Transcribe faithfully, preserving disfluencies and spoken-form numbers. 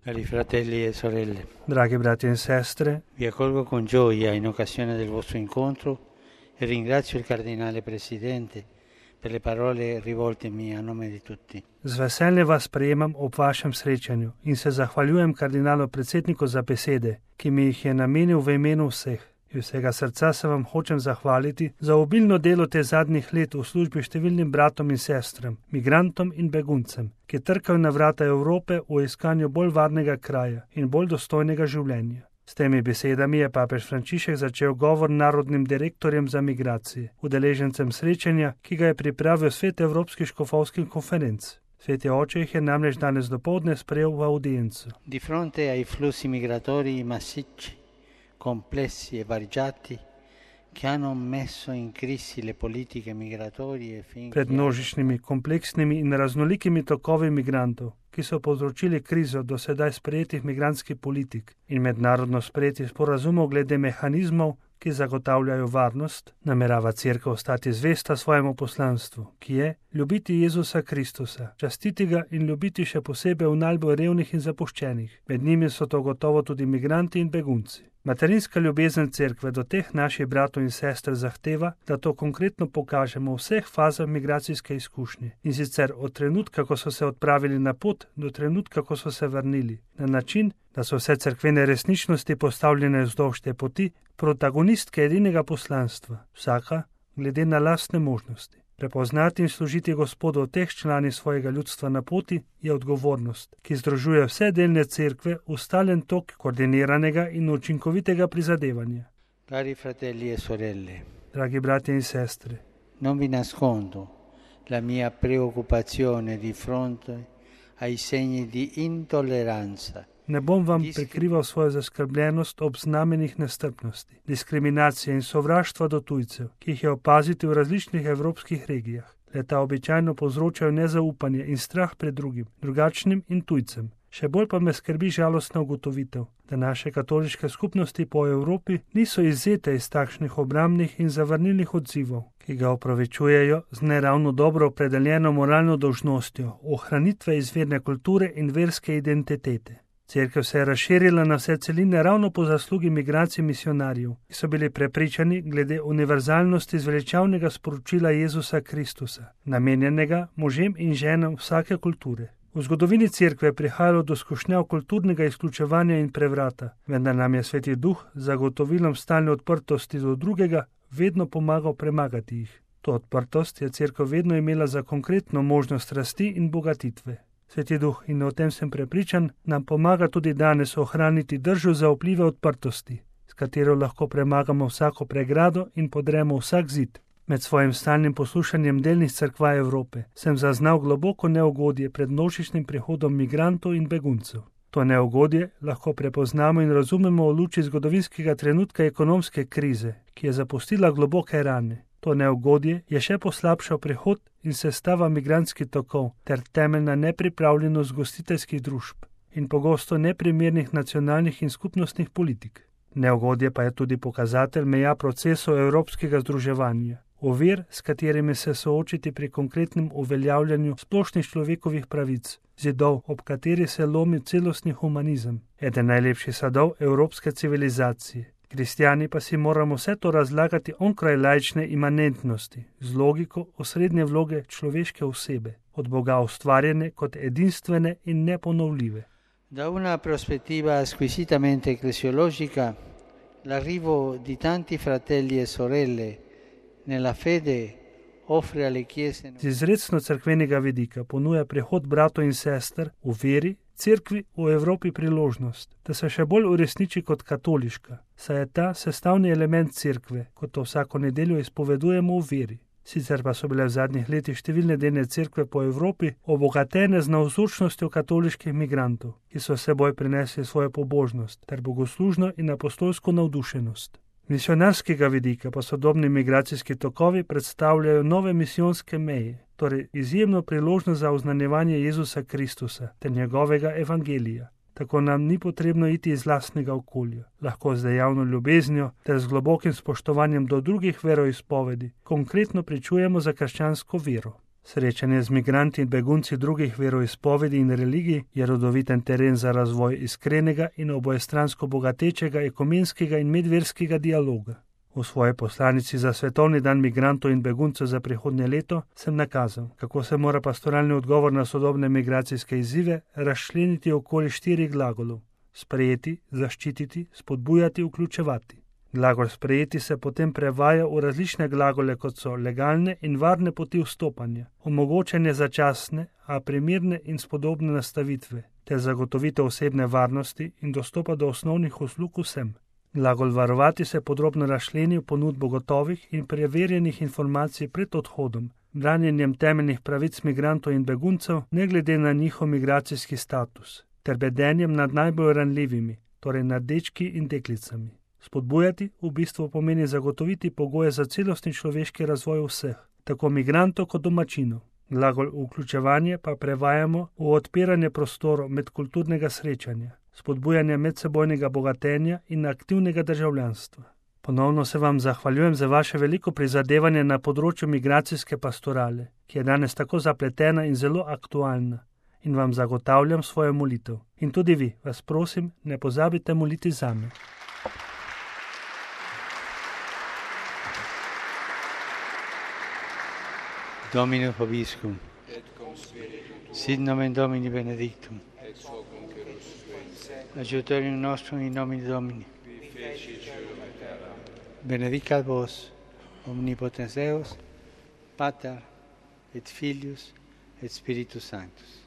Cari fratelli e sorelle, Dragi brati e sestre, vi accolgo con gioia in occasione del vostro incontro e ringrazio il Cardinale Presidente per le parole rivoltemi a nome di tutti. z veseljem vas sprejemam ob vašem srečanju in se zahvaljujem kardinalu predsedniku za besede, ki mi jih je namenil v imenu vseh. Iz vsega srca se vam hočem zahvaliti za obilno delo te zadnjih let v službi številnim bratom in sestram, migrantom in beguncem, ki trkajo na vrata Evrope v iskanju bolj varnega kraja in bolj dostojnega življenja. S temi besedami je papež Frančišek začel govor narodnim direktorjem za migracije, udeležencem srečanja, ki ga je pripravil Svet Evropskih škofovskih konferenc. Sveti oče jih je namreč danes dopoldne sprejel v audiencu. Di fronte ai flussi migratori massicci, complessi e variegati, che hanno messo in crisi le politiche migratorie fin Pred množičnimi, kompleksnimi in raznolikimi tokovi migrantov, ki so povzročili krizo do sedaj sprejetih migrantskih politik in mednarodno sprejetih sporazumov glede mehanizmov, ki zagotavljajo varnost, namerava Cerkev ostati zvesta svojemu poslanstvu, ki je ljubiti Jezusa Kristusa, častiti ga in ljubiti še posebej v najbolj revnih in zapuščenih. Med njimi so to gotovo tudi migranti in begunci. Materinska ljubezen Cerkve do teh naših bratov in sester zahteva, da to konkretno pokažemo v vseh fazah migracijske izkušnje, in sicer od trenutka, ko so se odpravili na pot, do trenutka, ko so se vrnili, na način, da so vse cerkvene resničnosti postavljene vzdolž te poti, protagonistke edinega poslanstva, vsaka glede na lastne možnosti. Prepoznati in služiti Gospodu v teh člani svojega ljudstva na poti je odgovornost, ki združuje vse delne cerkve v stalen tok koordiniranega in učinkovitega prizadevanja. Cari fratelli e sorelle, Dragi bratje in sestre, non vi nascondo la mia preoccupazione di fronte ai segni di intolleranza. ne bom vam prikrival svojo zaskrbljenost ob znamenjih nestrpnosti, diskriminacije in sovraštva do tujcev, ki jih je opaziti v različnih evropskih regijah. Leta običajno povzročajo nezaupanje in strah pred drugim, drugačnim in tujcem. Še bolj pa me skrbi žalostna ugotovitev, da naše katoliške skupnosti po Evropi niso izvzete iz takšnih obrambnih in zavrnilnih odzivov, ki ga opravičujejo z neravno dobro opredeljeno moralno dolžnostjo ohranitve izvirne kulture in verske identitete. Cerkev se je razširila na vse celine ravno po zaslugi migracij misionarjev, ki so bili prepričani glede univerzalnosti zveličavnega sporočila Jezusa Kristusa, namenjenega možem in ženam vsake kulture. V zgodovini Cerkve je prihajalo do skušnjav kulturnega izključevanja in prevrata, vendar nam je Sveti Duh z zagotovilom stalne odprtosti do drugega vedno pomagal premagati jih. To odprtost je Cerkev vedno imela za konkretno možnost rasti in bogatitve. Sveti Duh, in o tem sem prepričan, nam pomaga tudi danes ohraniti držo zaupljive odprtosti, s katero lahko premagamo vsako pregrado in podremo vsak zid. Med svojim stalnim poslušanjem delnih cerkva Evrope sem zaznal globoko neugodje pred množičnim prihodom migrantov in beguncev. To neugodje lahko prepoznamo in razumemo v luči zgodovinskega trenutka ekonomske krize, ki je zapustila globoke rane. To neugodje je še poslabšal prihod in sestava migrantskih tokov ter temeljna nepripravljenost gostiteljskih družb in pogosto neprimernih nacionalnih in skupnostnih politik. Neugodje pa je tudi pokazatelj meja procesov evropskega združevanja, ovir, s katerimi se soočiti pri konkretnem uveljavljanju splošnih človekovih pravic, zidov, ob kateri se lomi celostni humanizem, eden najlepših sadov evropske civilizacije. Kristjani pa si moramo vse to razlagati onkraj laične imanentnosti, z logiko osrednje vloge človeške osebe, od Boga ustvarjene kot edinstvene in neponovljive. Da una prospettiva squisitamente ecclesiologica, l'arrivo di tanti fratelli e sorelle nella fede offre alle chiese. Z izrecno cerkvenega vidika ponuja prihod bratov in sester v veri, Cerkvi v Evropi priložnost, da se še bolj uresniči kot katoliška, saj je ta sestavni element Cerkve, kot to vsako nedeljo izpovedujemo v veri. Sicer pa so bile v zadnjih letih številne delne cerkve po Evropi obogatene z navzočnostjo katoliških migrantov, ki so s seboj prinesli svojo pobožnost ter bogoslužno in apostolsko navdušenost. Misionarskega vidika pa sodobni migracijski tokovi predstavljajo nove misijonske meje, torej izjemno priložnost za oznanjevanje Jezusa Kristusa ter njegovega evangelija. Tako nam ni potrebno iti iz lastnega okolja, lahko z dejavno ljubeznijo ter z globokim spoštovanjem do drugih veroizpovedi konkretno pričujemo za krščansko vero. Srečanje z migranti in begunci drugih veroizpovedi in religij je rodoviten teren za razvoj iskrenega in obojestransko bogatečega ekumenskega in medverskega dialoga. V svoji poslanici za Svetovni dan migrantov in beguncev za prihodnje leto sem nakazal, kako se mora pastoralni odgovor na sodobne migracijske izzive razčleniti okoli štirih glagolov: sprejeti, zaščititi, spodbujati, vključevati. Glagol sprejeti se potem prevaja v različne glagole, kot so legalne in varne poti vstopanja, omogočanje začasne, a primirne in spodobne nastavitve, ter zagotovitev osebne varnosti in dostopa do osnovnih uslug vsem. Glagol varovati se podrobno razčleni v ponudbo gotovih in preverjenih informacij pred odhodom, branjenjem temeljnih pravic migrantov in beguncev, ne glede na njihov migracijski status, ter bedenjem nad najbolj ranljivimi, torej nad dečki in deklicami. Spodbujati v bistvu pomeni zagotoviti pogoje za celostni človeški razvoj vseh, tako migrantov kot domačinov. Glagol vključevanje pa prevajamo v odpiranje prostorov medkulturnega srečanja, spodbujanje medsebojnega bogatenja in aktivnega državljanstva. Ponovno se vam zahvaljujem za vaše veliko prizadevanje na področju migracijske pastorale, ki je danes tako zapletena in zelo aktualna, in vam zagotavljam svojo molitev. In tudi vi, vas prosim, ne pozabite moliti zame. Domino Vobiscum, et cum spiritu sit nomen Domini benedictum, et hoc nunc et usque in seculum, aiuterium nostrum in nomine Domini, qui feci caelum et terram. benedicat vos, omnipotens Deus, Pater et Filius et Spiritus Sanctus.